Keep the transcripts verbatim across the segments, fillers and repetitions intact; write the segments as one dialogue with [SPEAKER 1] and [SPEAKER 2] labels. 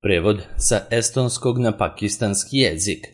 [SPEAKER 1] Prevod sa estonskog na pakistanski jezik.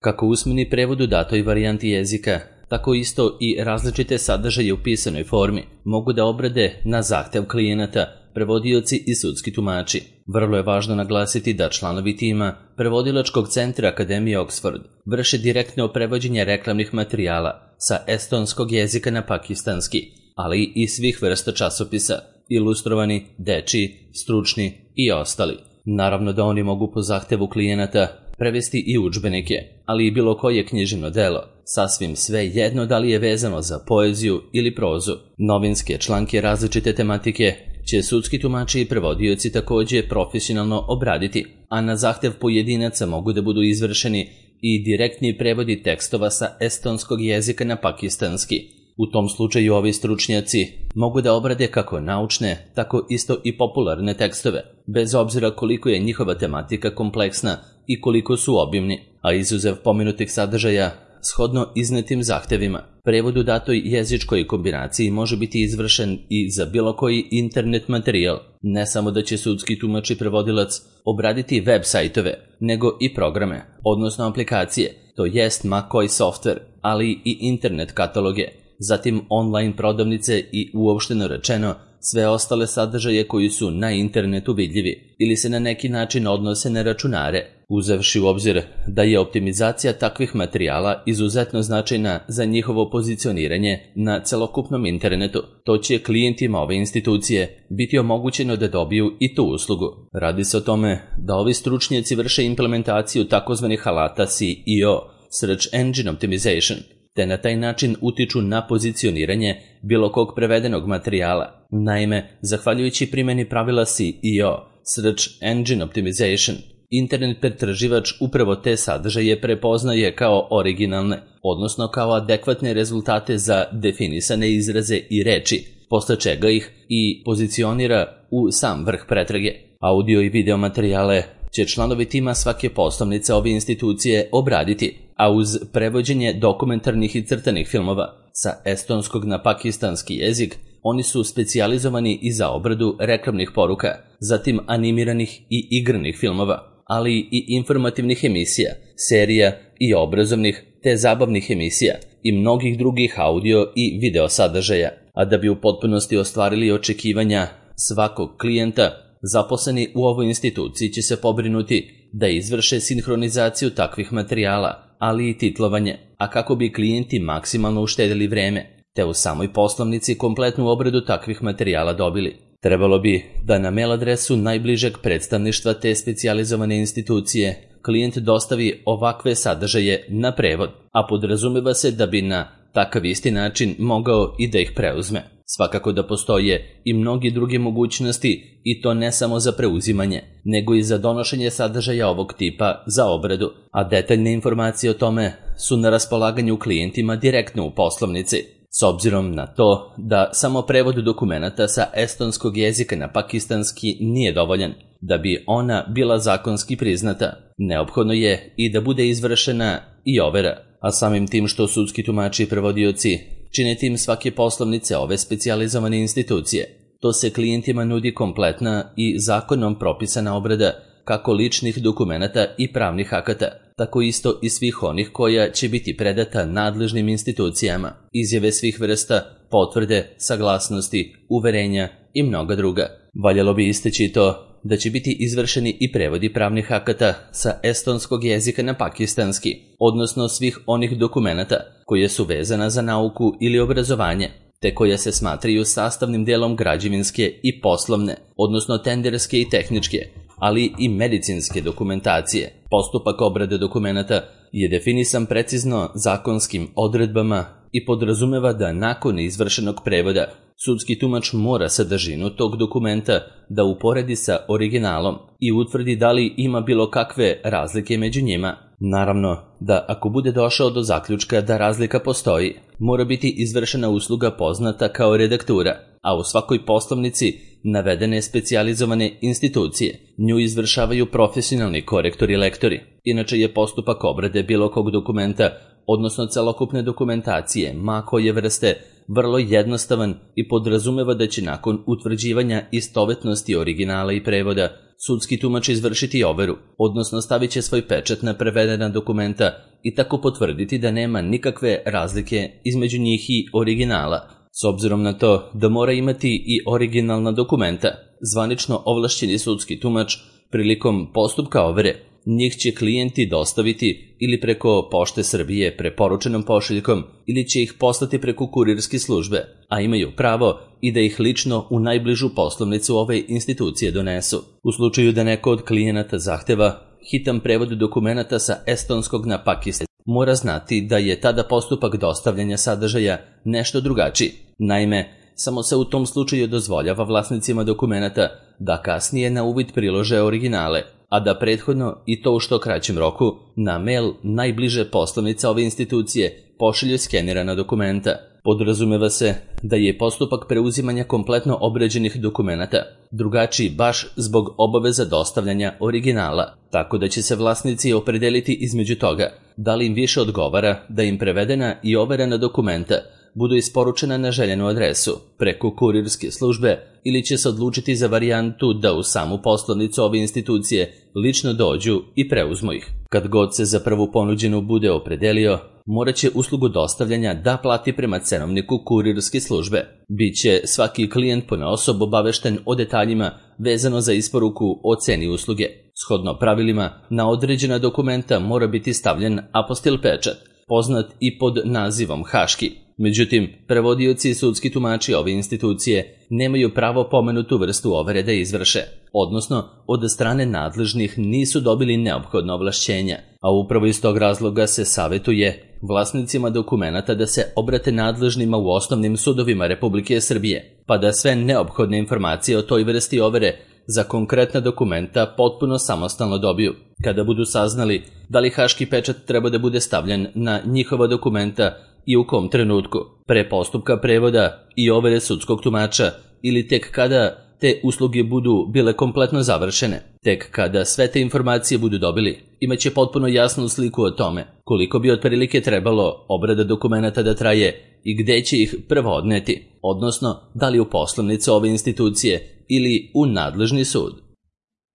[SPEAKER 1] Kako usmeni prevod u datoj varijanti jezika, tako isto i različite sadržaje u pisanoj formi mogu da obrade na zahtev klijenata, prevodioci i sudski tumači. Vrlo je važno naglasiti da članovi tima Prevodilačkog centra Akademije Oxford vrše direktno prevođenje reklamnih materijala sa estonskog jezika na pakistanski, ali i svih vrsta časopisa, ilustrovani, dečiji, stručni i ostali. Naravno da oni mogu po zahtevu klijenata prevesti i udžbenike, ali i bilo koje književno delo, sasvim sve jedno da li je vezano za poeziju ili prozu. Novinske članke različite tematike će sudski tumači i prevodioci takođe profesionalno obraditi, a na zahtev pojedinaca mogu da budu izvršeni i direktni prevodi tekstova sa estonskog jezika na pakistanski. U tom slučaju ovi stručnjaci mogu da obrade kako naučne, tako isto i popularne tekstove, bez obzira koliko je njihova tematika kompleksna i koliko su obimni, a izuzev pomenutih sadržaja, shodno iznetim zahtevima, prevod u datoj jezičkoj kombinaciji može biti izvršen i za bilo koji internet materijal. Ne samo da će sudski tumač i prevodilac obraditi web sajtove, nego i programe, odnosno aplikacije, to jest ma koji softver, ali i internet kataloge, zatim online prodavnice i uopšteno rečeno sve ostale sadržaje koji su na internetu vidljivi ili se na neki način odnose na računare, uzevši u obzir da je optimizacija takvih materijala izuzetno značajna za njihovo pozicioniranje na celokupnom internetu. To će klijentima ove institucije biti omogućeno da dobiju i tu uslugu. Radi se o tome da ovi stručnjaci vrše implementaciju takozvanih alata S E O, Search Engine Optimization, te na taj način utiču na pozicioniranje bilo kog prevedenog materijala. Naime, zahvaljujući primjeni pravila S E O, Search Engine Optimization, internet pretraživač upravo te sadržaje prepoznaje kao originalne, odnosno kao adekvatne rezultate za definisane izraze i reči, posle čega ih i pozicionira u sam vrh pretrage. Audio i video materijale će članovi tima svake poslovnice ove institucije obraditi, a uz prevođenje dokumentarnih i crtanih filmova sa estonskog na pakistanski jezik, oni su specijalizovani i za obradu reklamnih poruka, zatim animiranih i igranih filmova, ali i informativnih emisija, serija i obrazovnih te zabavnih emisija i mnogih drugih audio i video sadržaja. A da bi u potpunosti ostvarili očekivanja svakog klijenta, zaposleni u ovoj instituciji će se pobrinuti da izvrše sinhronizaciju takvih materijala, ali i titlovanje, a kako bi klijenti maksimalno uštedili vreme, te u samoj poslovnici kompletnu obradu takvih materijala dobili. Trebalo bi da na mail adresu najbližeg predstavništva te specijalizovane institucije klijent dostavi ovakve sadržaje na prevod, a podrazumeva se da bi na takav isti način mogao i da ih preuzme. Svakako da postoje i mnogi druge mogućnosti i to ne samo za preuzimanje, nego i za donošenje sadržaja ovog tipa za obradu, a detaljne informacije o tome su na raspolaganju klijentima direktno u poslovnici. S obzirom na to da samo prevod dokumenata sa estonskog jezika na pakistanski nije dovoljan, da bi ona bila zakonski priznata, neophodno je i da bude izvršena i overa, a samim tim što sudski tumači i prevodioci čine tim svake poslovnice ove specijalizovane institucije, to se klijentima nudi kompletna i zakonom propisana obrada kako ličnih dokumenata i pravnih akata, tako isto i svih onih koja će biti predata nadležnim institucijama, izjave svih vrsta, potvrde, saglasnosti, uverenja i mnoga druga. Valjalo bi isteći to da će biti izvršeni i prevodi pravnih akata sa estonskog jezika na pakistanski, odnosno svih onih dokumenata koje su vezana za nauku ili obrazovanje, te koje se smatraju sastavnim delom građevinske i poslovne, odnosno tenderske i tehničke, ali i medicinske dokumentacije. Postupak obrade dokumenata je definisan precizno zakonskim odredbama i podrazumeva da nakon izvršenog prevoda sudski tumač mora sadržinu tog dokumenta da uporedi sa originalom i utvrdi da li ima bilo kakve razlike među njima. Naravno da ako bude došao do zaključka da razlika postoji, mora biti izvršena usluga poznata kao redaktura, a u svakoj poslovnici navedene specijalizovane institucije nju izvršavaju profesionalni korektori i lektori. Inače je postupak obrade bilo kog dokumenta, odnosno celokupne dokumentacije, ma koje vrste, vrlo jednostavan i podrazumeva da će nakon utvrđivanja istovetnosti originala i prevoda sudski tumač izvršiti overu, odnosno stavit će svoj pečat na prevedena dokumenta i tako potvrditi da nema nikakve razlike između njih i originala, s obzirom na to da mora imati i originalna dokumenta. Zvanično ovlašćeni sudski tumač prilikom postupka overe njih će klijenti dostaviti ili preko Pošte Srbije preporučenom pošiljkom ili će ih poslati preko kurirske službe, a imaju pravo i da ih lično u najbližu poslovnicu ove institucije donesu. U slučaju da neko od klijenata zahteva hitan prevod dokumenata sa estonskog na pakistanski, mora znati da je tada postupak dostavljanja sadržaja nešto drugačiji. Naime, samo se u tom slučaju dozvoljava vlasnicima dokumenata da kasnije na uvid prilože originale, a da prethodno i to u što kraćem roku na mail najbliže poslovnice ove institucije pošalju skenirana dokumenta. Podrazumeva se da je postupak preuzimanja kompletno obrađenih dokumenata drugačiji baš zbog obaveza dostavljanja originala, tako da će se vlasnici opredeliti između toga da li im više odgovara da im prevedena i overena dokumenta budu isporučena na željenu adresu preko kurirske službe ili će se odlučiti za varijantu da u samu poslovnicu ove institucije lično dođu i preuzmu ih. Kad god se za prvu ponuđenu bude opredelio, morat će uslugu dostavljanja da plati prema cenovniku kurirske službe. Biće svaki klijent ponaosob obavešten o detaljima vezano za isporuku o ceni usluge. Shodno pravilima, na određena dokumenta mora biti stavljen apostil pečat, poznat i pod nazivom haški. Međutim, prevodioci i sudski tumači ove institucije nemaju pravo pomenutu vrstu overe da izvrše, odnosno od strane nadležnih nisu dobili neophodna ovlašćenja, a upravo iz tog razloga se savetuje vlasnicima dokumenata da se obrate nadležnima u osnovnim sudovima Republike Srbije, pa da sve neophodne informacije o toj vrsti overe za konkretna dokumenta potpuno samostalno dobiju. Kada budu saznali da li haški pečat treba da bude stavljen na njihova dokumenta i u kom trenutku, pre postupka prevoda i overe sudskog tumača ili tek kada te usluge budu bile kompletno završene, tek kada sve te informacije budu dobili, imaće potpuno jasnu sliku o tome koliko bi otprilike trebalo obrada dokumenata da traje i gde će ih prvo odneti, odnosno da li u poslovnicu ove institucije ili u nadležni sud.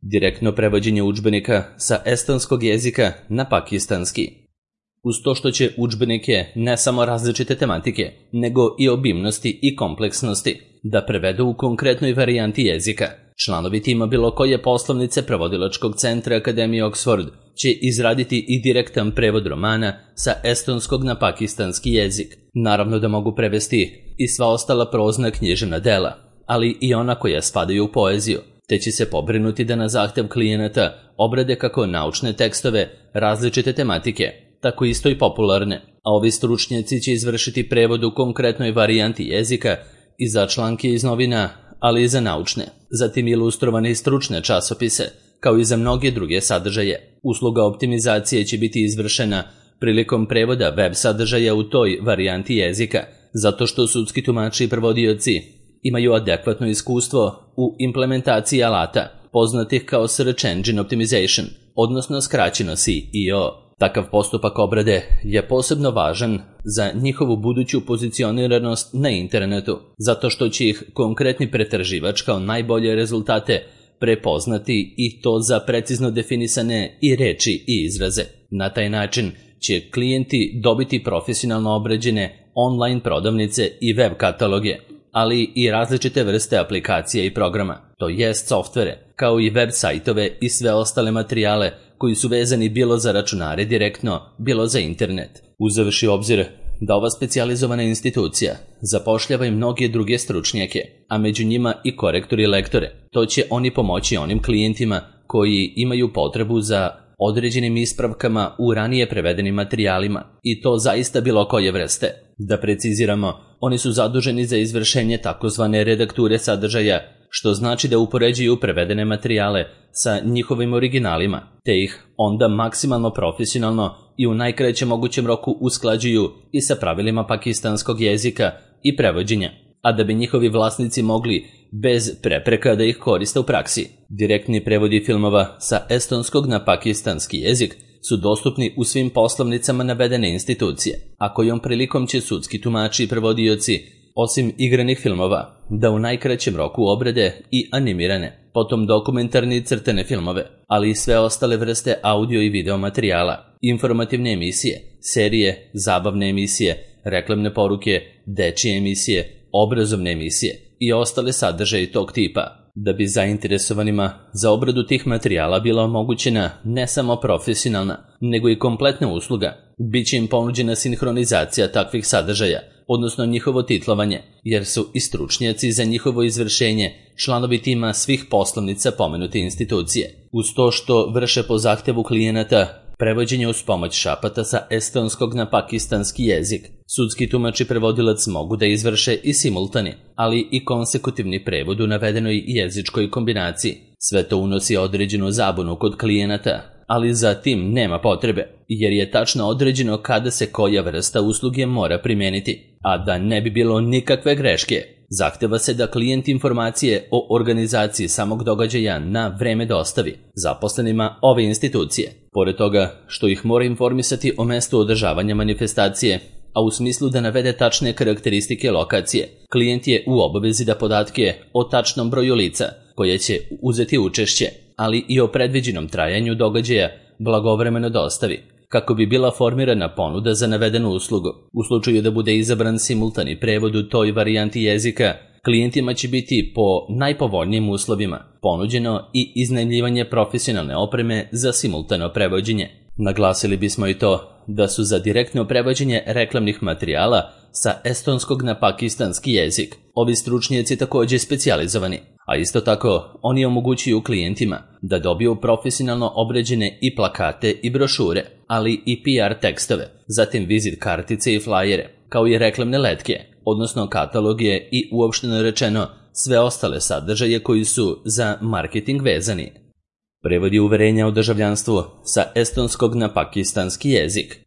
[SPEAKER 1] Direktno prevođenje udžbenika sa estonskog jezika na pakistanski. Uz to što će udžbenike ne samo različite tematike, nego i obimnosti i kompleksnosti da prevedu u konkretnoj varijanti jezika, članovi tima bilo koje poslovnice Prevodilačkog centra Akademije Oxford će izraditi i direktan prevod romana sa estonskog na pakistanski jezik. Naravno da mogu prevesti i sva ostala prozna književna dela, ali i ona koja spadaju u poeziju, te će se pobrinuti da na zahtev klijenata obrade kako naučne tekstove različite tematike, tako isto i popularne, a ovi stručnjaci će izvršiti prevod u konkretnoj varijanti jezika i za članke iz novina, ali i za naučne, zatim ilustrovane i stručne časopise, kao i za mnoge druge sadržaje. Usluga optimizacije će biti izvršena prilikom prevoda web sadržaja u toj varijanti jezika, zato što sudski tumači i prevodioci imaju adekvatno iskustvo u implementaciji alata, poznatih kao Search Engine Optimization, odnosno skraćeno S E O. Takav postupak obrade je posebno važan za njihovu buduću pozicioniranost na internetu, zato što će ih konkretni pretraživač kao najbolje rezultate prepoznati i to za precizno definisane i reči i izraze. Na taj način će klijenti dobiti profesionalno obrađene online prodavnice i web kataloge, ali i različite vrste aplikacija i programa, to jest softvere, kao i web sajtove i sve ostale materijale koji su vezani bilo za računare direktno, bilo za internet. Uzevši obzir da ova specijalizovana institucija zapošljava i mnoge druge stručnjake, a među njima i korektore i lektore, to će oni pomoći onim klijentima koji imaju potrebu za određenim ispravkama u ranije prevedenim materijalima, i to zaista bilo koje vrste. Da preciziramo, oni su zaduženi za izvršenje takozvane redakture sadržaja, što znači da upoređuju prevedene materijale sa njihovim originalima, te ih onda maksimalno profesionalno i u najkraćem mogućem roku usklađuju i sa pravilima pakistanskog jezika i prevođenja, a da bi njihovi vlasnici mogli bez prepreka da ih koriste u praksi. Direktni prevodi filmova sa estonskog na pakistanski jezik su dostupni u svim poslovnicama navedene institucije, a kojom prilikom će sudski tumači i prevodioci, osim igranih filmova, da u najkraćem roku obrade i animirane, potom dokumentarne i crtene filmove, ali i sve ostale vrste audio i video materijala, informativne emisije, serije, zabavne emisije, reklamne poruke, dečije emisije, obrazovne emisije i ostale sadržaje tog tipa. Da bi zainteresovanima za obradu tih materijala bila omogućena ne samo profesionalna, nego i kompletna usluga, bit će im ponuđena sinhronizacija takvih sadržaja, odnosno njihovo titlovanje, jer su i stručnjaci za njihovo izvršenje članovi tima svih poslovnica pomenute institucije. Uz to što vrše po zahtevu klijenata prevođenje uz pomoć šapata sa estonskog na pakistanski jezik, sudski tumač i prevodilac mogu da izvrše i simultani, ali i konsekutivni prevod u navedenoj jezičkoj kombinaciji. Sve to unosi određenu zabunu kod klijenata, ali za tim nema potrebe, jer je tačno određeno kada se koja vrsta usluge mora primeniti, a da ne bi bilo nikakve greške. Zahteva se da klijent informacije o organizaciji samog događaja na vreme dostavi zaposlenima ove institucije. Pored toga što ih mora informisati o mestu održavanja manifestacije, a u smislu da navede tačne karakteristike lokacije, klijent je u obavezi da podatke o tačnom broju lica koje će uzeti učešće, ali i o predviđenom trajanju događaja blagovremeno dostavi, kako bi bila formirana ponuda za navedenu uslugu. U slučaju da bude izabran simultani prevod u toj varijanti jezika, klijentima će biti po najpovoljnijim uslovima ponuđeno i iznajmljivanje profesionalne opreme za simultano prevođenje. Naglasili bismo i to da su za direktno prevođenje reklamnih materijala sa estonskog na pakistanski jezik ovi stručnjaci također specijalizovani, a isto tako oni omogućuju klijentima da dobiju profesionalno obrađene i plakate i brošure, ali i P R tekstove, zatim vizit kartice i flajere, kao i reklamne letke, odnosno kataloge i uopšteno rečeno sve ostale sadržaje koji su za marketing vezani. Prevodi uverenja o državljanstvu sa estonskog na pakistanski jezik.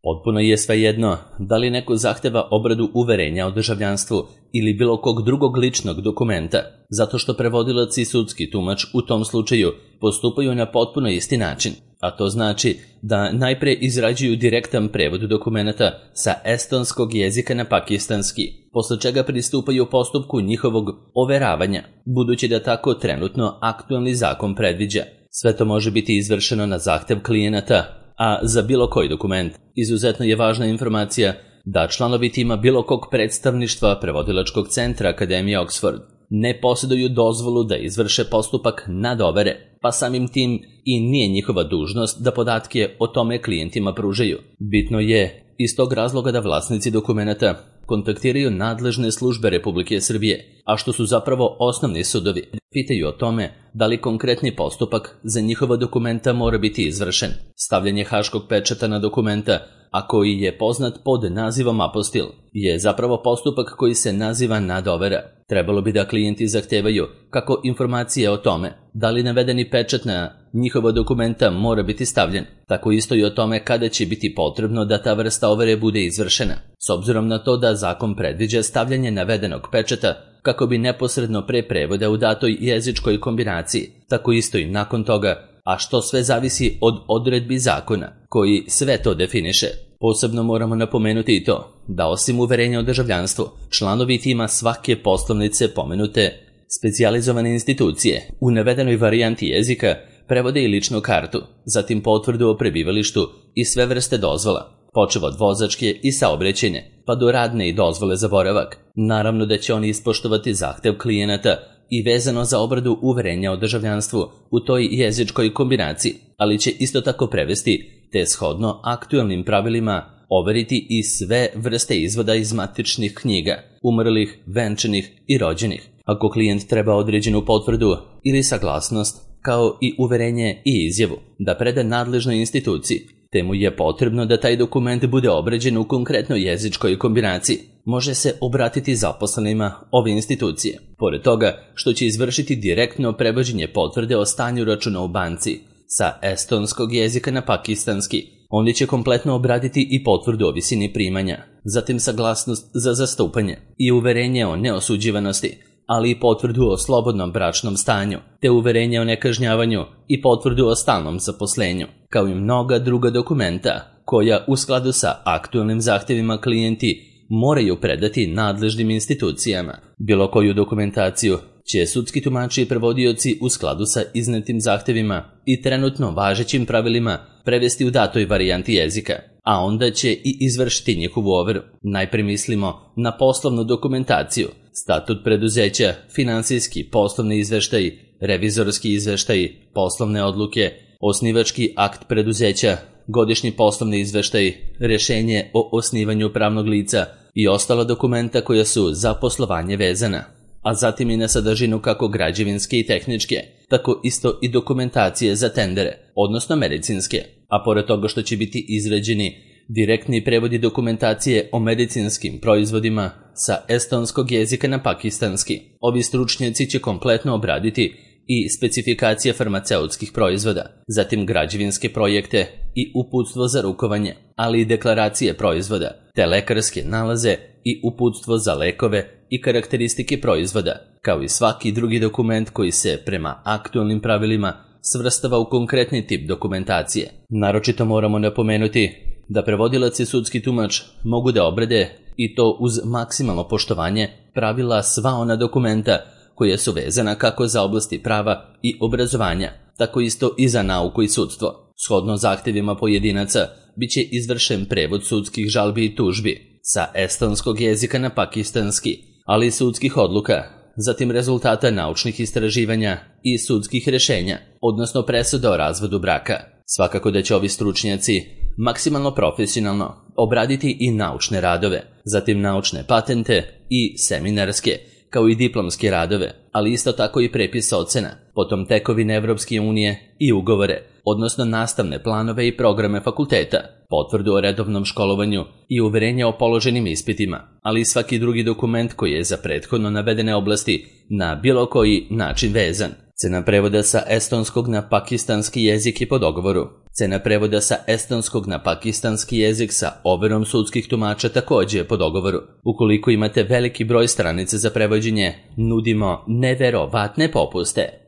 [SPEAKER 1] Potpuno je svejedno da li neko zahteva obradu uverenja o državljanstvu ili bilo kog drugog ličnog dokumenta, zato što prevodilac i sudski tumač u tom slučaju postupaju na potpuno isti način, a to znači da najpre izrađuju direktan prevod dokumenta sa estonskog jezika na pakistanski, posle čega pristupaju postupku njihovog overavanja, budući da tako trenutno aktualni zakon predviđa. Sve to može biti izvršeno na zahtev klijenata, a za bilo koji dokument izuzetno je važna informacija da članovi tima bilo kog predstavništva prevodilačkog centra Akademije Oxford ne posjeduju dozvolu da izvrše postupak nadovere, pa samim tim i nije njihova dužnost da podatke o tome klijentima pružaju. Bitno je iz tog razloga da vlasnici dokumenata kontaktiraju nadležne službe Republike Srbije, a što su zapravo osnovni sudovi, pitaju o tome da li konkretni postupak za njihova dokumenta mora biti izvršen. Stavljanje haškog pečata na dokumenta, a koji je poznat pod nazivom apostil, je zapravo postupak koji se naziva nadovera. Trebalo bi da klijenti zahtevaju kako informacije o tome da li navedeni pečat na njihova dokumenta mora biti stavljen, tako isto i o tome kada će biti potrebno da ta vrsta overe bude izvršena. S obzirom na to da zakon predviđa stavljanje navedenog pečata kako bi neposredno pre prevoda u datoj jezičkoj kombinaciji, tako isto i nakon toga, a što sve zavisi od odredbi zakona koji sve to definiše. Posebno moramo napomenuti i to da osim uverenja o državljanstvu, članovi tima svake poslovnice pomenute specijalizovane institucije u navedenoj varijanti jezika prevode i ličnu kartu, zatim potvrdu o prebivalištu i sve vrste dozvola, počev od vozačke i saobraćajne, pa do radne i dozvole za boravak. Naravno da će oni ispoštovati zahtev klijenata i vezano za obradu uverenja o državljanstvu u toj jezičkoj kombinaciji, ali će isto tako prevesti te shodno aktualnim pravilima overiti i sve vrste izvoda iz matičnih knjiga, umrlih, venčanih i rođenih. Ako klijent treba određenu potvrdu ili saglasnost, kao i uverenje i izjavu da preda nadležnoj instituciji, te mu je potrebno da taj dokument bude obrađen u konkretnoj jezičkoj kombinaciji, može se obratiti zaposlenima ove institucije. Pored toga što će izvršiti direktno prevođenje potvrde o stanju računa u banci sa estonskog jezika na pakistanski, oni će kompletno obraditi i potvrdu o visini primanja, zatim saglasnost za zastupanje i uverenje o neosuđivanosti, ali i potvrdu o slobodnom bračnom stanju, te uverenje o nekažnjavanju i potvrdu o stalnom zaposlenju, kao i mnoga druga dokumenta koja u skladu sa aktualnim zahtjevima klijenti moraju predati nadležnim institucijama. Bilo koju dokumentaciju će sudski tumači i prevodioci u skladu sa iznetim zahtevima i trenutno važećim pravilima prevesti u datoj varijanti jezika, a onda će i izvršiti njihovu overu. Najprije mislimo na poslovnu dokumentaciju, statut preduzeća, finansijski, poslovni izveštaj, revizorski izveštaj, poslovne odluke, osnivački akt preduzeća, godišnji poslovni izveštaj, rješenje o osnivanju pravnog lica i ostala dokumenta koja su za poslovanje vezana, a zatim i na sadržinu kako građevinske i tehničke, tako isto i dokumentacije za tendere, odnosno medicinske, a pored toga što će biti izrađeni direktni prevodi dokumentacije o medicinskim proizvodima sa estonskog jezika na pakistanski. Ovi stručnjaci će kompletno obraditi i specifikacije farmaceutskih proizvoda, zatim građevinske projekte i uputstvo za rukovanje, ali i deklaracije proizvoda, te lekarske nalaze i uputstvo za lekove i karakteristike proizvoda, kao i svaki drugi dokument koji se prema aktualnim pravilima svrstava u konkretni tip dokumentacije. Naročito moramo napomenuti da prevodilac i sudski tumač mogu da obrade, i to uz maksimalno poštovanje pravila, sva ona dokumenta koje su vezana kako za oblasti prava i obrazovanja, tako isto i za nauku i sudstvo. Shodno zahtjevima pojedinaca bit će izvršen prevod sudskih žalbi i tužbi sa estonskog jezika na pakistanski, ali i sudskih odluka, zatim rezultata naučnih istraživanja i sudskih rješenja, odnosno presuda o razvodu braka. Svakako da će ovi stručnjaci maksimalno profesionalno obraditi i naučne radove, zatim naučne patente i seminarske, kao i diplomske radove, ali isto tako i prepis ocena, potom tekovine Evropske unije i ugovore, odnosno nastavne planove i programe fakulteta, potvrdu o redovnom školovanju i uverenje o položenim ispitima, ali i svaki drugi dokument koji je za prethodno navedene oblasti na bilo koji način vezan. Cena prevoda sa estonskog na pakistanski jezik je po dogovoru. Cena prevoda sa estonskog na pakistanski jezik sa overom sudskih tumača također je po dogovoru. Ukoliko imate veliki broj stranica za prevođenje, nudimo neverovatne popuste.